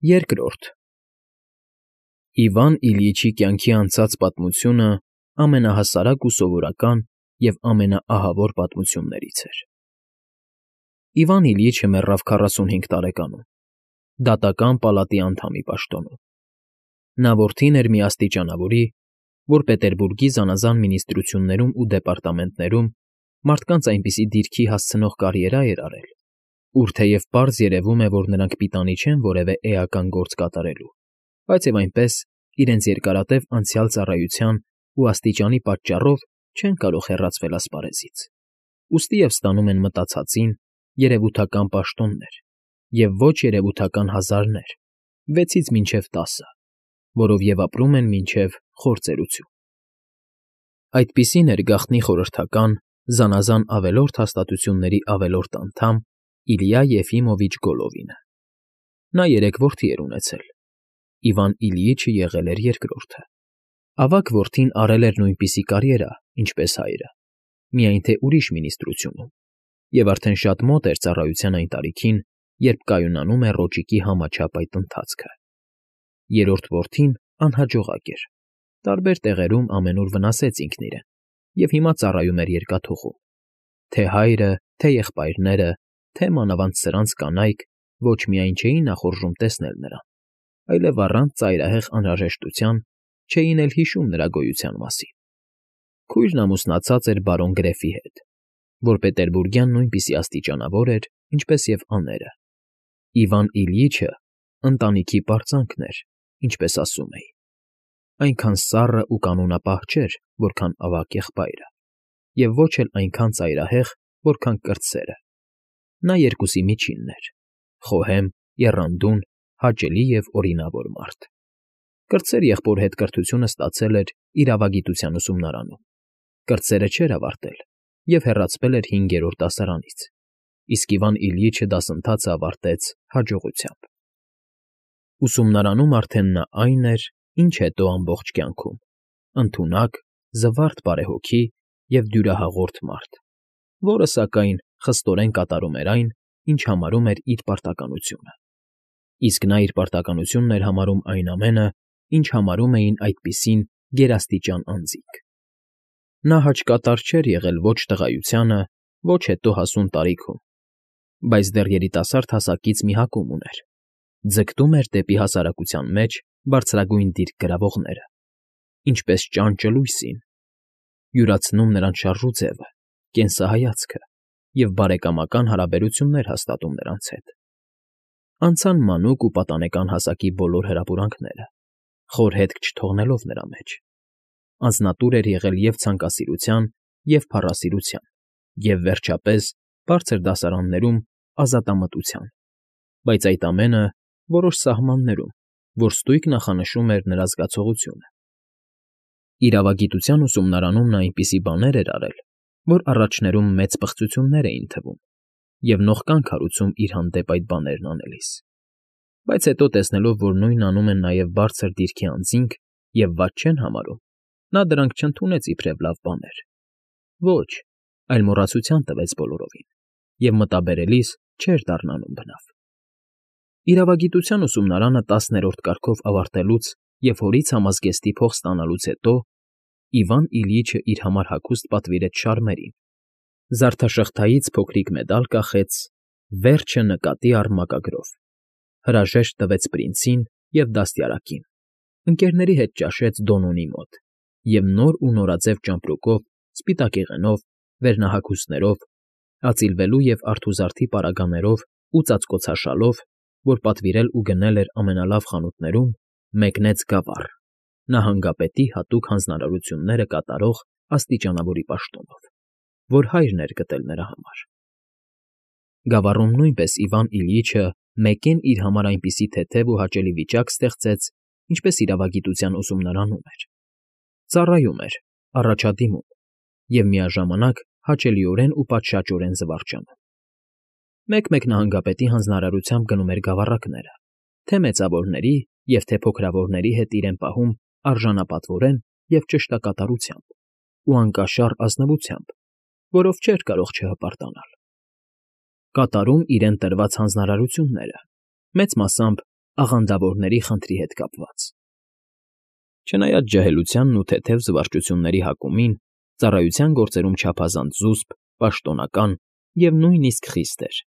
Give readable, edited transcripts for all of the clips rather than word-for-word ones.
Երկրորդ Իվան Իլյիչի կյանքի անցած պատմությունը ամենահասարակ ու սովորական և ամենաահավոր պատմություններից էր։ Իվան Իլյիչը մեռավ 45 տարեկանում, դատական պալատի անդամի պաշտոնում։ Նա որդին էր մի աստիճանավորի, որ Պետերբուրգի զանազան մինիստրություններում ու դեպարտամենտներում մարդկանց այնպիսի դիրքի հասցնող կարիերա էր արել, ուր թեև պարզ երևում է, որ նրանք պիտանի չեն որևէ էական գործ կատարելու, բայց և այնպես իրենց երկարատև անցյալ ծառայության ու աստիճանի պատճառով չեն կարող հեռացվել ասպարեզից, ուստի և ստանում են մտածածին երևութական պաշտոններ և ոչ երևութական հազարներ, 6-ից մինչև 10, որով և ապրում են մինչև խոր ծերություն։ Այդպիսին էր գաղտնի խորհրդական, զանազան ավելորդ հաստատությունների ավելորդ անդամ Իլյա Եֆիմովիչ Գոլովինը։ Նա 3 որդի էր ունեցել. Իվան Իլյիչը եղել էր երկրորդը։ Ավագ որդին արել էր նույնպիսի կարիերա, ինչպես հայրը, միայն թե ուրիշ մինիստրությունում, և արդեն շատ մոտ էր ծառայության այն տարիքին, երբ կայունանում է ռոճիկի համաչափ այդ ընթացքը։ Երրորդ որդին անհաջողակ էր, տարբեր տեղերում ամենուր վնասեց ինքն իրեն և հիմա ծառայում էր երկաթուղում։ Թե հայրը, թե եղբայրները, թե մանավանդ սրանց կանայք ոչ միայն չէին նախորժում տեսնել նրան, այլև առանց ծայրահեղ անհրաժեշտության չէին էլ հիշում նրա գոյության մասին։ Քույրն ամուսնացած էր բարոն Գրեֆի հետ, որ պետերբուրգյան նույնպիսի աստիճանավոր էր, ինչպես և աները։ Իվան Իլյիչը ընտանիքի պարծանքն էր, ինչպես ասում էին։ Այնքան սառը ու կանոնապահ չէր, որքան ավագ եղբայրը, և ոչ էլ այնքան ծայրահեղ, որքան կրտսերը։ Նա երկուսի միջինն էր՝ խոհեմ, եռանդուն, հաճելի և օրինավոր մարդ։ Կրտսեր եղբոր հետ կրթությունը ստացել էր իրավագիտության ուսումնարանում, կրտսերը չէր ավարտել և հեռացվել էր 5-րդ դասարանից, իսկ Իվան Իլյիչը դասընթացը ավարտեց հաջողությամբ։ Ուսումնարանում արդեն նա այն էր, ինչ հետո ամբողջ կյանքում՝ ընդունակ, զվարթ բարեհոգի և դյուրահաղորդ մարդ, որը, սակայն, խստորեն կատարում էր այն, ինչ համարում էր իր պարտականությունը։ Իսկ նա իր պարտականությունն էր համարում այն ամենը, ինչ համարում էին այդպիսին գերաստիճան անձինք։ Նա հաճկատար չէր եղել ոչ տղայությանը, ոչ հետո հասուն տարիքում, բայց դեռ երիտասարդ հասակից մի հակում ուներ. ձգտում էր դեպի հասարակության մեջ բարձրագույն դիրք գրավողները, ինչպես ճանճը լույսին, յուրացնում նրանց շարժուձևը, կենսահայացքը և բարեկամական հարաբերություններ հաստատում նրանց հետ։ Անցան մանուկ ու պատանեկան հասակի բոլոր հրապուրանքները, խոր հետք չթողնելով նրա մեջ։ Անձնատուր էր եղել և ցանկասիրության, և փառասիրության, և, վերջապես, բարձր դասարաններում ազատամտության, բայց այդ ամենը որոշ սահմաններում, որ ստույգ նախանշում էր նրա զգացողությունը։ Իրավագիտության ուսումնարանում նա այնպիսի բաներ էր արել, որ առաջներում մեծ պղծություններ էին թվում և նողկան քարուցում իր հանդեպ այդ բաներն անելիս, բայց հետո տեսնելով, որ նույնն անում են նաև բարձր դիրքի անձինք և վատ չեն համարում, նա դրանք չընդունեց իբրև լավ բաներ։ Ոչ, այլ մոռացության տվեց բոլորովին և մտաբերելիս չէր դառնանում բնավ։ Իրավագիտության ուսումնարանը 10-րդ կարգով ավարտելուց և հորից համազգեստի փող ստանալուց հետո Իվան Իլյիչը իր համար հագուստ պատվիրեց շարմերին, զարդաշղթայից փոքրիկ մեդալ կախեց, «Վերջը նկատի առ» մակագրով, հրաժեշտ տվեց պրինցին և դաստիարակին, ընկերների հետ ճաշեց Դոնոնի մոտ և նոր ու նորաձև ճամպրուկով, սպիտակեղենով, վերնահագուստներով, ածիլվելու և արթուզարդի պարագաներով ու ծածկոցաշալով, որ պատվիրել ու գնել էր ամենալավ խանութներում, մեկնեց Գավառ՝ նահանգապետի հատուկ հանձնարարությունները կատարող աստիճանավորի պաշտոնով, որ հայրն էր գտել նրա համար։ Գավառում նույնպես Իվան Իլյիչը մեկեն իր համար այնպիսի թեթև ու հաճելի վիճակ ստեղծեց, ինչպես իրավագիտության ուսումնարանում էր։ Ծառայում էր, առաջադիմում և միաժամանակ հաճելիորեն ու պատշաճորեն զվարճանում։ Մեկ-մեկ նահանգապետի հանձնարարությամբ գնում էր գավառակները, թե մեծավորների և թե փոքրավորների հետ իրեն պահում արժանապատվորեն և ճշտակատարությամբ ու անկաշառ ազնվությամբ, որով չէր կարող չհպարտանալ։ Կատարում իրեն տրված հանձնարարությունները, մեծ մասամբ աղանդավորների խնդրի հետ կապված։ Չնայած ջահելությանն ու թեթև զվարճությունների հակումին, ծառայության գործերում չափազանց զուսպ, պաշտոնական և նույնիսկ խիստ էր,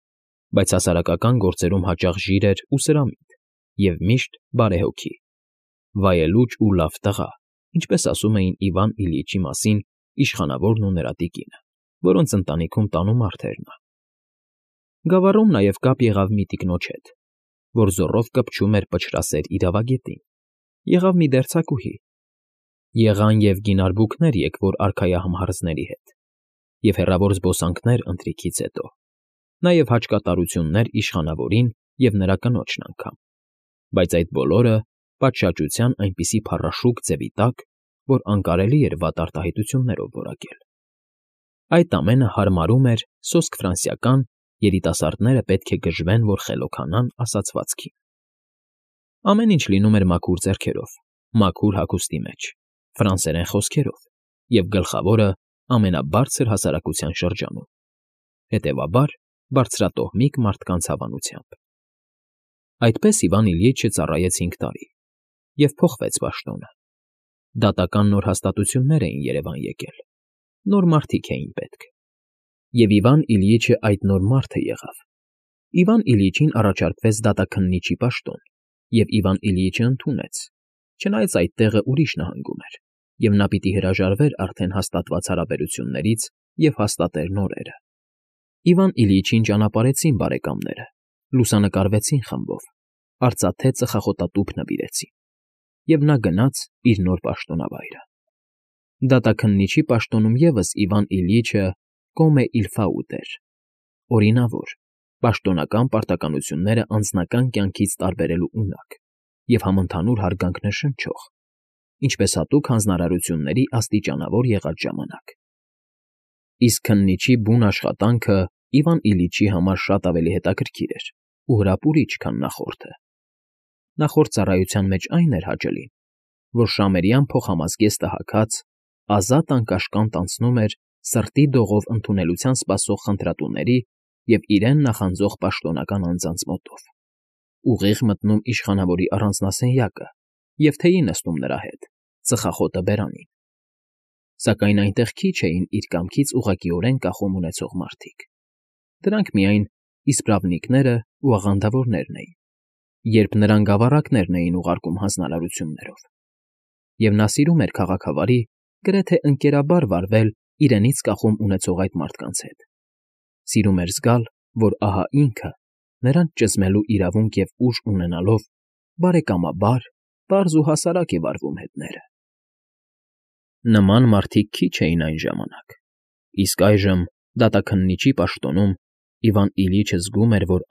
բայց հասարակական գործերում հաճախ ժիր էր ու սրամիտ և միշտ բարեհոգի, վայելուչ ու լավ տղա, ինչպես ասում էին Իվան Իլյիչի մասին իշխանավորն ու նրա տիկինը, որոնց ընտանիքում տանումարդ էր նա։ Գավառում նաև կապ եղավ մի տիկնոջ հետ, որ զոռով կպչում էր պչրասեր իրավագետին, եղավ մի դերձակուհի, եղան և գինարբուքներ եկվոր արքայահամհարձների հետ, և հեռավոր զբոսանքներ ընթրիքից հետո, նաև հաճկատարություններ իշխանավորին և նրա կնոջն անգամ, բայց այդ բոլորը պատշաճության այնպիսի փառաշուկ ձևի տակ, որ անկարելի էր վատ արտահայտություններով որակել։ Այդ ամենը հարմարում էր սոսկ ֆրանսիական երիտասարդները պետք է գժվեն, որ խելոքանան ասացվածքին։ Ամեն ինչ լինում էր մաքուր ձեռքերով, մաքուր հագուստի մեջ, ֆրանսերեն խոսքերով և գլխավորը ամենաբարձր հասարակության շրջանում, հետևաբար բարձրատոհմիկ մարդկանց հավանությամբ։ Այդպես Իվան Իլյիչը ծառայեց 5 տարի և փոխվեց պաշտոնը։ Դատական նոր հաստատություններ էին Երևան եկել, նոր մարդիկ էին պետք։ Եվ Իվան Իլյիչը այդ նոր մարդը եղավ։ Իվան Իլյիչին առաջարկվեց դատաքննիչի պաշտոն, և Իվան Իլյիչը ընդունեց, չնայած այդ տեղը ուրիշ նահանգում էր, և նա պիտի հրաժարվեր արդեն հաստատված հարաբերություններից և հաստատեր նորերը։ Իվան Իլյիչին ճանապարհեցին բարեկամները, լուսանկարվեցին խմբով, արծաթե ծխախոտատուփ նվիրեցին, և նա գնաց իր նոր պաշտոնավայրը։ Դատաքննիչի պաշտոնում ևս Իվան Իլյիչը կոմե իլ ֆաուտ էր, օրինավոր, պաշտոնական պարտականությունները անձնական կյանքից տարբերելու ունակ և համընդհանուր հարգանքն շնչող, ինչպես հատուկ հանձնարարությունների աստիճանավոր եղած ժամանակ։ Իսկ քննիչի բուն աշխատանքը Իվան Իլյիչի համար շատ ավելի հետաքրքիր էր ու հրապուրիչ, քան նախորդը։ Նախորդ ծառայության մեջ այն էր հաճելին, որ շամերյան փոխհամազգեստը հագած, ազատ անկաշկանդ անցնում էր սրտի դողով ընդունելության սպասող խնդրատուների և իրեն նախանձող պաշտոնական անձանց մոտով, ուղիղ մտնում իշխանավորի առանձնասենյակը և թեյի նստում նրա հետ, ծխախոտը բերանին։ Սակայն այնտեղ քիչ էին իր կամքից ուղղակիորեն կախում ունեցող մարդիկ։ Դրանք միայն իսպրավնիկներն ու աղանդավորներն էին, երբ նրան գավառակներն էին ուղարկում հանձնարարություններով։ Եվ նա սիրում էր քաղաքավարի, գրեթե ընկերաբար վարվել իրենից կախում ունեցող այդ մարդկանց հետ։ Սիրում էր զգալ, որ ահա ինքը, նրանց ճզմելու իրավունք և ուժ ունենալով, բարեկամաբար, պարզ ու հասարակ է վարվում հետները։ Նման մարդիկ քիչ էին այն ժամանակ, իսկ այժմ դատաքննիչի պաշտոնում Իվան Իլյիչը զգում էր, որ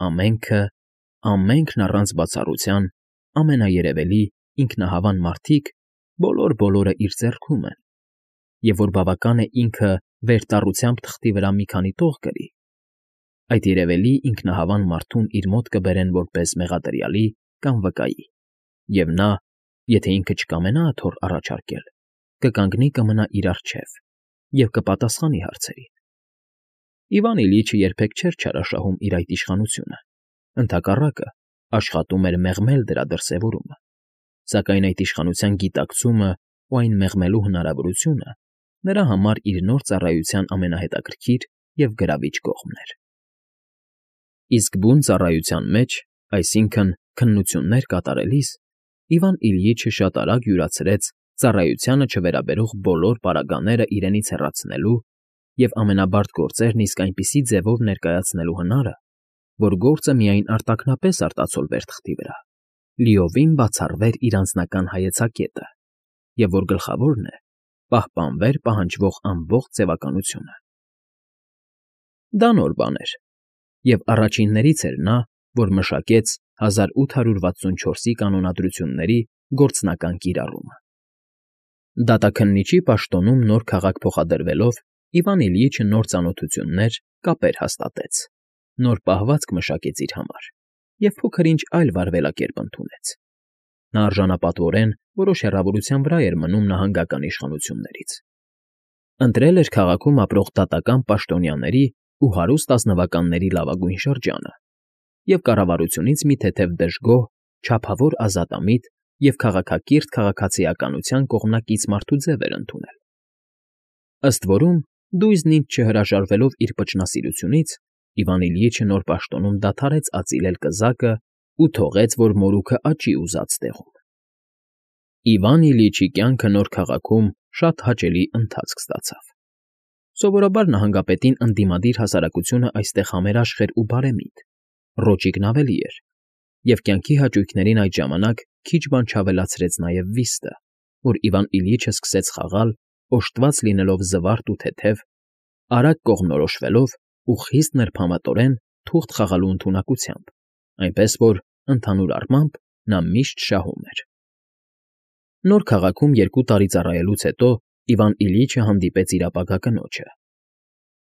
ամենքն առանց բացառության, ամենաերևելի, ինքնահավան մարդիկ բոլորը իր ձեռքում են, և որ բավական է ինքը վերտառությամբ թղթի վրա մի քանի տող գրի, այդ երևելի ինքնահավան մարդուն իր մոտ կբերեն որպես մեղադրյալի կամ վկայի, և նա, եթե ինքը չկամենա աթոռ առաջարկել, կկանգնի կմնա իր առջև և կպատասխանի հարցերին։ Իվան Իլյիչը երբեք չէր չարաշահում իր այդ իշխանությունը, ընդհակառակը, աշխատում էր մեղմել դրա դրսևորումը, սակայն այդ իշխանության գիտակցումն ու այն մեղմելու հնարավորությունը նրա համար իր նոր ծառայության ամենահետաքրքիր և գրավիչ կողմն էր։ Իսկ բուն ծառայության մեջ, այսինքն՝ քննություններ կատարելիս, Իվան Իլյիչը շատ արագ յուրացրեց ծառայությանը չվերաբերող բոլոր պարագաները իրենից հեռացնելու և ամենաբարդ գործերն իսկ այնպիսի ձևով ներկայացնելու հնարը, որ գործը միայն արտաքնապես արտացոլվեր թղթի վրա, լիովին բացառվեր իր անձնական հայեցակետը, և որ գլխավորն է, պահպանվեր պահանջվող ամբողջ ձևականությունը։ Դա նոր բան էր, և առաջիններից էր նա, որ մշակեց 1864-ի կանոնադրությունների գործնական կիրառումը։ Դատաքննիչի պաշտոնում նոր քաղաք փոխադրվելով Իվան Իլյիչը նոր ծանոթություններ, կապեր հաստատեց, նոր պահվածք մշակեց իր համար և փոքր-ինչ այլ վարվելակերպ ընդունեց։ Նա արժանապատվորեն որոշ հեռավորության վրա էր մնում նահանգական իշխանություններից։ Ընտրել էր քաղաքում ապրող դատական պաշտոնյաների ու հարուստ ազնվականների լավագույն շրջանը և կառավարությունից մի թեթև դժգոհ չափավոր ազատամիտ և քաղաքակիրթ քաղաքացիականության կողմնակից մարդու ձև էր ընդունել։ Ըստ որում, դույզն ինձ չհրաժարվելով իր պճնասիրությունից, Իվան Իլյիչը նոր պաշտոնում դադարեց ածիլել կզակը ու թողեց, որ մորուքը աճի ուզած տեղում։ Իվան Իլյիչի կյանքը նոր քաղաքում շատ հաճելի ընթացք ստացավ։ Սովորաբար նահանգապետին ընդդիմադիր հասարակությունը այստեղ համերաշխ էր ու բարեմիտ, Ռոճիկն ավելի էր, և կյանքի հաճույքներին այդ ժամանակ քիչ բան չավելացրեց նաև վիստը, որ Իվան Իլյիչը սկսեց խաղալ, օժտված լինելով զվարթ ու թեթև, արագ կողմնորոշվելով ու խիստ նրբամատորեն թուղթ խաղալու ընդունակությամբ, այնպես որ, ընդհանուր առմամբ, նա միշտ շահում էր։ Նոր քաղաքում 2 տարի ծառայելուց հետո Իվան Իլյիչը հանդիպեց իր ապագա կնոջը։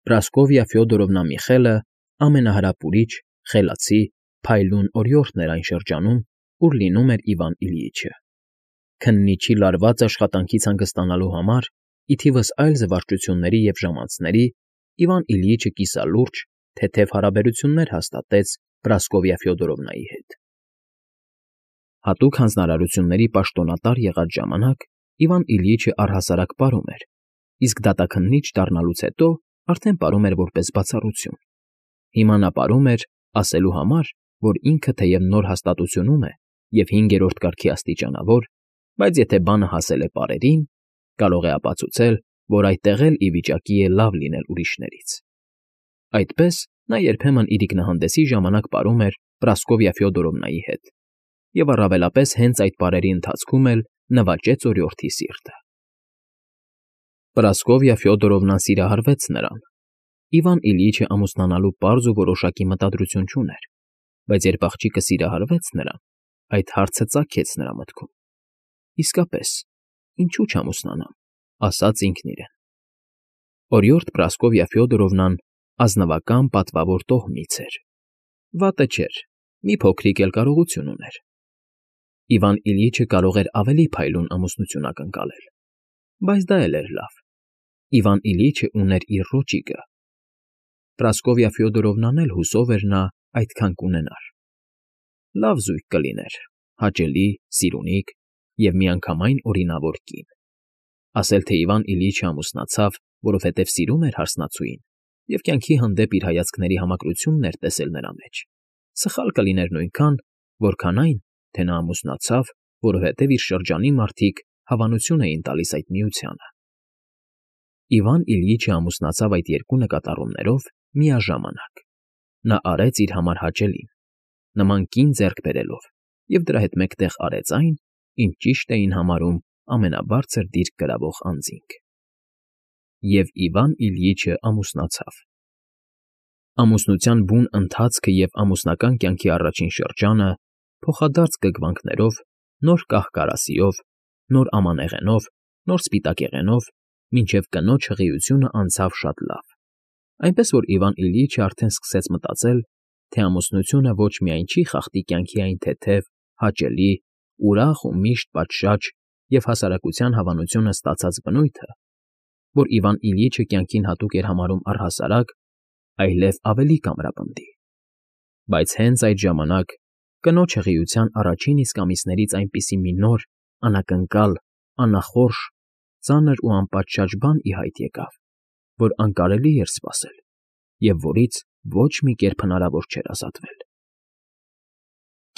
Պրասկովիա Ֆյոդորովնա Միխելը ամենահրապուրիչ, խելացի, փայլուն օրիորդն էր այն շրջանում, ուր լինում էր Իվան Իլյիչը։ Քննիչի լարված աշխատանքից հանգստանալու համար, ի թիվս այլ զվարճությունների և ժամանցների, Իվան Իլյիչը կիսալուրջ, թեթև հարաբերություններ հաստատեց Պրասկովիա Ֆյոդորովնայի հետ։ Հատուկ հանձնարարությունների պաշտոնատար եղած ժամանակ Իվան Իլյիչը առհասարակ պարում էր, իսկ դատաքննիչ դառնալուց հետո արդեն պարում էր որպես բացառություն։ Հիմա նա պարում էր, ասելու համար, որ ինքը թեև նոր հաստատությունում է և 5-րդ կարգի աստիճանավոր, բայց եթե բանը հասել է պարերին, կարող է ապացուցել, որ այդտեղ էլ ի վիճակի է լավ լինել ուրիշներից։ Այդպես նա երբեմն իր ինքնահանդեսի ժամանակ պարում էր Պրասկովիա Ֆյոդորովնայի հետ, և առավելապես հենց այդ պարերի ընթացքում էլ նվաճեց օրիորդի սիրտը։ Պրասկովիա Ֆյոդորովնան սիրահարվեց նրան։ Իվան Իլյիչը ամուսնանալու պարզ ու որոշակի մտադրություն չուներ, բայց երբ աղջիկը սիրահարվեց նրան, այդ հարցը ծագեց նրա մտքում։ Իսկապես, ինչու չամուսնանամ, ասաց ինքն իրեն։ Օրիորդ Պրասկովիա Ֆյոդորովնան ազնվական պատվավոր տոհմից էր։ Վատը չէր, մի փոքրիկ էլ կարողություն ուներ։ Իվան Իլյիչը կարող էր ավելի փայլուն ամուսնություն ակնկալել, բայց դա էլ էր լավ։ Իվան Իլյիչը ուներ իր Ռոճիկը։ Պրասկովիա Ֆյոդորովնան էլ հուսով էր նա այդքան կունենար։ Լավ զույգ կլիներ, հաճելի, սիրունիկ և միանգամայն օրինավոր կին։ Ասել թե Իվան Իլյիչը ամուսնացավ, որովհետև սիրում էր հարսնացուին և կյանքի հանդեպ իր հայացքների համակրությունն էր տեսել նրա մեջ, սխալ կլիներ նույնքան, որքան այն, թե նա ամուսնացավ, որովհետև իր շրջանի մարդիկ հավանություն էին տալիս այդ միությանը։ Իվան Իլյիչը ամուսնացավ այդ 2 նկատառումներով միաժամանակ։ Նա արեց իր համար հաճելին, նման կին ձեռք բերելով, և դրա հետ մեկտեղ արեց այն, ինչ ճիշտ էին համարում ամենաբարձր դիրք կրավող անձինք։ Եվ Իվան Իլյիչը ամուսնացավ։ Ամուսնության բուն ընթացքը և ամուսնական կյանքի առաջին շրջանը փոխադարձ կգվանքներով, նոր կահ֊կարասիով, նոր ամանեղենով, նոր սպիտակեղենով, մինչև կնոջ հղիությունը անցավ շատ լավ, այնպես որ Իվան Իլյիչը արդեն սկսեց մտածել, թե ամուսնությունը ոչ միայն չի խախտի կյանքի այն թեթև, հաճելի, ուրախ ու միշտ պատշաճ և հասարակության հավանությունը ստացած բնույթը, որ Իվան Իլյիչը կյանքին հատուկ էր համարում առհասարակ, այլև ավելի կամրապնդի։ Բայց հենց այդ ժամանակ կնոջ հղիության առաջին իսկ ամիսներից այնպիսի մի նոր, անակնկալ, անախորժ, ծանր ու անպատշաճ բան ի հայտ եկավ, որ անկարելի էր սպասել և որից ոչ մի կերպ հնարավոր չէր ազատվել։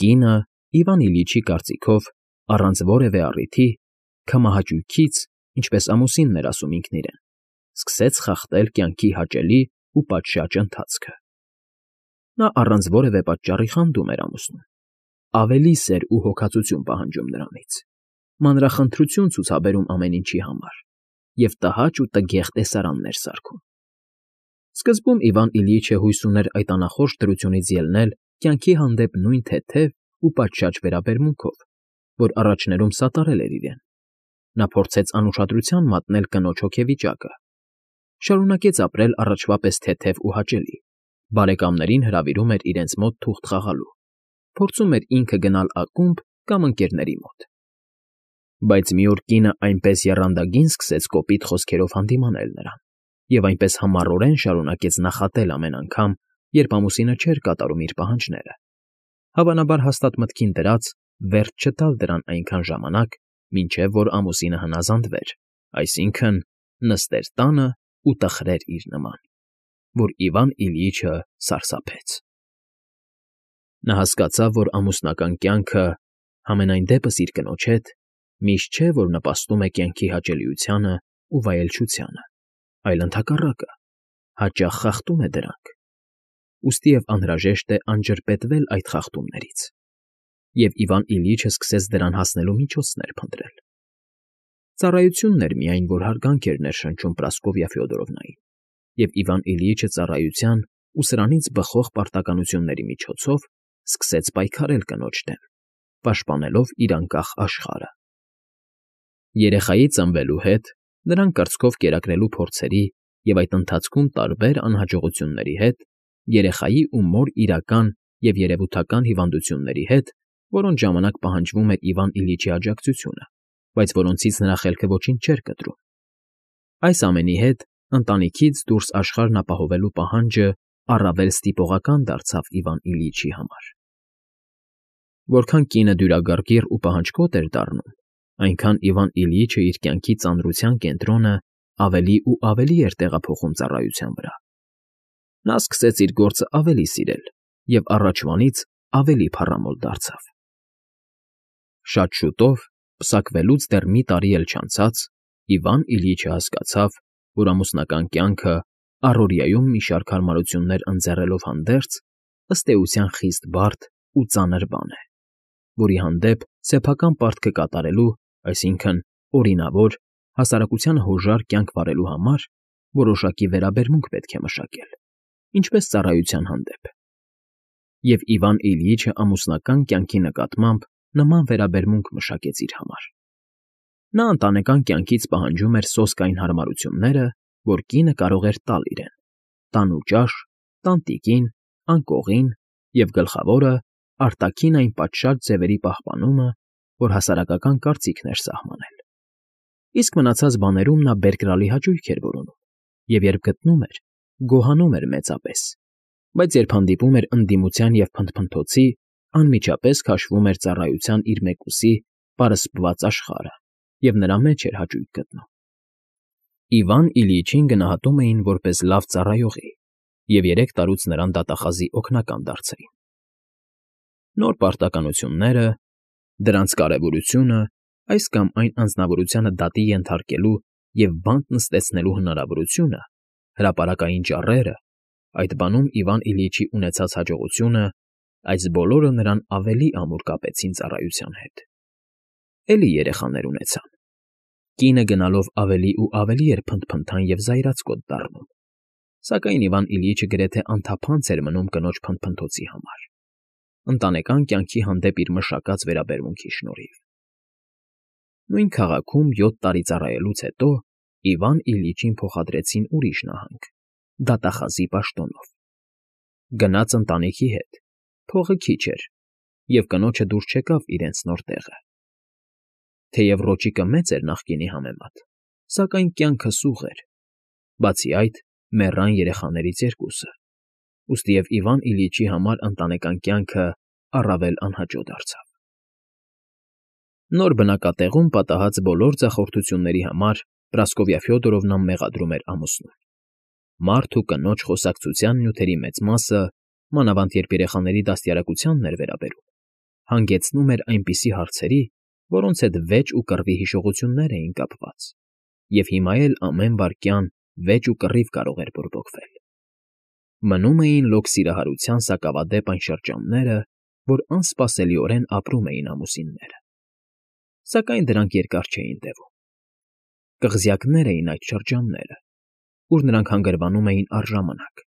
Կինը, Իվան Իլյիչի կարծիքով, առանց որևէ առիթի, քմահաճույքից, ինչպես ամուսինն էր ասում ինքն իրեն, սկսեց խախտել կյանքի հաճելի ու պատշաճ ընթացքը։ Նա առանց որևէ պատճառի խանդում էր ամուսնուն, ավելի սեր ու հոգածություն պահանջում նրանից, մանրախնդրություն ցուցաբերում ամեն ինչի համար և տհաճ ու տգեղ տեսարաններ սարքում։ Սկզբում Իվան Իլյիչը հույս ուներ այդ անախորժ դրությունից ելնել կյանքի հանդեպ նույն թեթև ու պատշաճ վերաբերմունքով, որ առաջներում սատարել էր իրեն։ Նա փորձեց անուշադրության մատնել կնոջ հոգեվիճակը, շարունակեց ապրել առաջվա պես թեթև ու հաճելի, բարեկամներին հրավիրում էր իրենց մոտ թուղթ խաղալու, փորձում էր ինքը գնալ ակումբ կամ ընկերների մոտ։ Բայց մի օր կինը այնպես եռանդագին սկսեց կոպիտ խոսքերով հանդիմանել նրան և այնպես համառորեն շարունակեց նախատել ամեն անգամ, երբ ամուսինը չէր կատարում իր պահանջները, հավանաբար հաստատ մտքին դրած վերջ չտալ դրան այնքան ժամանակ, մինչև որ ամուսինը հնազանդվեր, այսինքն՝ նստեր տանը ու տխրեր իր նման, որ Իվան Իլյիչը սարսափեց։ Նա հասկացավ, որ ամուսնական կյանքը, համենայն դեպս իր կնոջ հետ, միշտ չէ, որ նպաստում է կյանքի հաճելիությանը ու վայելչությանը, այլ ընդհակառակը, հաճախ խախտում է դրանք, ուստիև անհրաժեշտ է անջրպետվել այդ խախտումներից, և Իվան Իլյիչը սկսեց դրան հասնելու միջոցներ փնտրել։ Ծառայությունն էր միայն, որ հարգանք էր ներշնչում Պրասկովիա Ֆյոդորովնային, և Իվան Իլյիչը ծառայության ու սրանից բխող պարտականությունների միջոցով սկսեց պայքարել կնոջ դեմ, պաշտպանելով իր անկախ աշխարհը։ Երեխայի ծնվելու հետ, նրան կրծքով կերակրելու փորձերի և այդ ընթացքում տարբեր անհաջողությունների հետ, երեխայի ու մոր իրական և երևութական հիվանդությունների հետ, որոնց ժամանակ պահանջվում էր Իվան Իլյիչի աջակցությունը, բայց որոնցից նրա խելքը ոչինչ չէր կտրում։ Այս ամենի հետ ընտանիքից դուրս աշխարհն ապահովելու պահանջը առավել ստիպողական դարձավ Իվան Իլյիչի համար։ Որքան կինը դյուրագարգիռ ու պահանջկոտ էր դառնում, այնքան Իվան Իլյիչը իր կյանքի ծանրության կենտրոնը ավելի ու ավելի էր տեղափոխում ծառայության վրա։ Նա սկսեց իր գործը ավելի սիրել և առաջվանից ավելի փառամոլ դարձավ։ Շատ շուտով, պսակվելուց դեռ մի տարի էլ չանցած, Իվան Իլյիչը հասկացավ, որ ամուսնական կյանքը, առօրյայում մի շարք հարմարություններ ընձեռելով հանդերձ, ըստ էության խիստ բարդ ու ծանր բան է, որի հանդեպ սեփական պարտքը կատարելու, այսինքն՝ օրինավոր, հասարակությանը հոժար կյանք վարելու համար որոշակի վերաբերմունք պետք է մշակել, ինչպես ծառայության հանդեպ։ Եվ Իվան Իլյիչը ամուսնական կյանքի նկատմամբ նման վերաբերմունք մշակեց իր համար։ Նա ընտանեկան կյանքից պահանջում էր սոսկային հարմարությունները, որ կինը կարող էր տալ իրեն՝ տան ու ճաշ, տանտիկին, անկողին և, գլխավորը, արտաքին այն պատշաճ ձևերի պահպանումը, որ հասարակական կարծիքն էր սահմանել։ Իսկ մնացած բաներում նա բերկրալի հաճույք էր որոնում, և երբ գտնում էր, գոհանում էր մեծապես, բայց երբ հանդիպում էր ընդդիմության և փնթփնթոցի, անմիջապես քաշվում էր ծառայության իր մեկուսի պարսպված աշխարհը և նրա մեջ էր հաճույք գտնում։ Իվան Իլյիչին գնահատում էին որպես լավ ծառայողի և 3 տարուց նրան դատախազի օգնական դարձրին։ Նոր պարտականությունները, դրանց կարևորությունը, այս կամ այն անձնավորությանը դատի ենթարկելու և բանտ նստեցնելու հնարավորությունը, հրապարակային ճառերը, այդ բանում Իվան Իլյիչի ունեցած հաջողությունը, այս բոլորը նրան ավելի ամուր կապեցին ծառայության հետ։ Էլի երեխաներ ունեցան։ Կինը գնալով ավելի ու ավելի էր փնթփնթան և զայրացկոտ դառնում, սակայն Իվան Իլյիչը գրեթե անթափանց էր մնում կնոջ փնթփնթոցի համար, ընտանեկան կյանքի հանդեպ իր մշակած վերաբերմունքի շնորհիվ։ Նույն քաղաքում 7 տարի ծառայելուց հետո Իվան Իլյիչին փոխադրեցին ուրիշ նահանգ՝ դատախազի պաշտոնով։ Գնաց ընտանիքի հետ, փողը քիչ էր, և կնոջը դուր չեկավ իրենց նոր տեղը։ Թեև ռոճիկը մեծ էր նախկինի համեմատ, սակայն կյանքը սուղ էր, բացի այդ, մեռան երեխաներից 2-ը, ուստիև Իվան Իլյիչի համար ընտանեկան կյանքը առավել անհաճո դարձավ։ Նոր բնակատեղում պատահած բոլոր ձախորդությունների համար Պրասկովիա Ֆյոդորովնան մեղադրում էր ամուսնուն։ Մարդ ու կնոջ խոսակցության նյութերի մեծ մասը, մանավանդ երբ երեխաների դաստիարակությանն էր վերաբերում, հանգեցնում էր այնպիսի հարցերի, որոնց հետ վեճ ու կռվի հիշողություններ էին կապված, և հիմա էլ ամեն վայրկյան վեճ ու կռիվ կարող էր բորբոքվել։ Մնում էին լոկ սիրահարության սակավադեպ այն շրջանները, որ անսպասելիորեն ապրում էին ամուսինները։ Սակայն դրանք երկար չէին տևում։ Կղզյակներ էին այդ շրջանները, ուր նրանք հանգրվանում էին առժամանակ,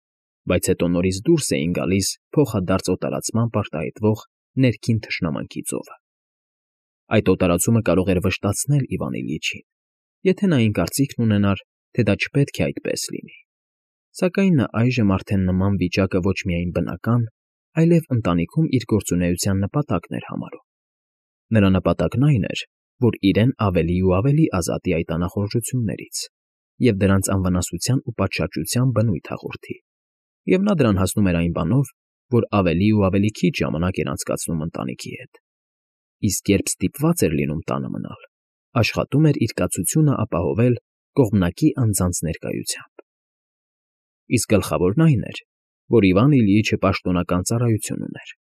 բայց հետո նորից դուրս էին գալիս փոխադարձ օտարացմամբ արտահայտվող ներքին թշնամանքի ծովը։ Այդ օտարացումը կարող էր վշտացնել Իվան Իլյիչին, եթե նա այն կարծիքն ունենար, թե դա չպետք է այդպես լինի, սակայն նա այժմ արդեն նման վիճակը ոչ միայն բնական, այլև ընտանիքում իր գործունեության նպատակն էր համարում։ Նրա նպատակն այն էր, որ իրեն ավելի ու ավելի ազատի այդ անախորժություններից և դրանց անվնասության ու պատշաճության բնույթ հաղորդի, և նա դրան հասնում էր այն բանով, որ ավելի ու ավելի քիչ ժամանակ էր անցկացնում ընտանիքի հետ, իսկ երբ ստիպված էր լինում տանը մնալ, աշխատում էր իր կացությունը ապահովել կողմնակի անձանց ներկայությամբ։ Իսկ գլխավորն այն էր, որ Իվան Իլյիչը պաշտոնական ծառայություն ուներ։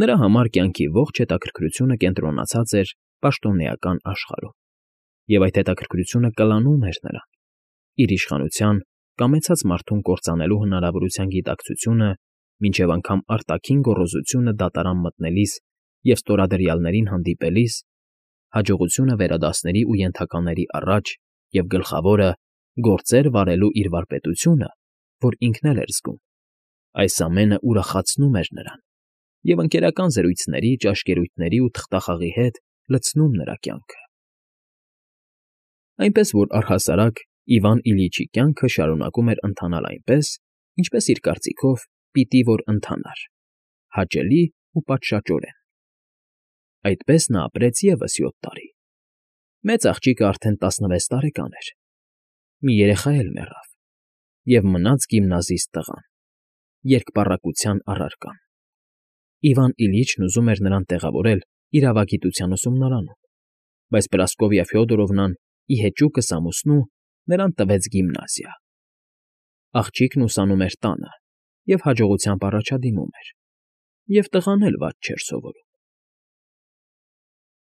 Նրա համար կյանքի ողջ հետաքրքրությունը կենտրոնացած էր պաշտոնեական աշխարհում, և այդ հետաքրքրությունը կլանում էր նրան, իր իշխանության կամեցած մարդուն կործանելու հնարավորության գիտակցությունը, մինչև անգամ արտաքին գոռոզությունը դատարան մտնելիս և ստորադրյալներին հանդիպելիս, հաջողությունը վերադասների ու ենթակաների առաջ և, գլխավորը, գործեր վարելու իր վարպետությունը, որ ինքն էլ էր զգում, այս ամենը ուրախացնում էր նրան և ընկերական զրույցների, ճաշկերույթների ու թղթախաղի հետ լցնում նրա կյանքը։ Այնպես որ առհասարակ Իվան Իլյիչի կյանքը շարունակում էր ընթանալ այնպես, ինչպես իր կարծիքով պիտի որ ընթանար՝ հաճելի ու պատշաճորեն։ Այդպես նա ապրեց ևս 7 տարի։ Մեծ աղջիկը արդեն 16 տարեկան էր, մի երեխա էլ մեռավ, և մնաց գիմնազիստ տղան, երկպառակտության առարկան։ Իվան Իլյիչն ուզում էր նրան տեղավորել իրավագիտության ուսումնարանում, բայց Պրասկովիա Ֆյոդորովնան, ի հեճուկս ամուսնու, նրան տվեց գիմնազիա։ Աղջիկն ուսանում էր տանը և հաջողությամբ առաջադիմում էր, և տղան էլ վատ չէր սովորում։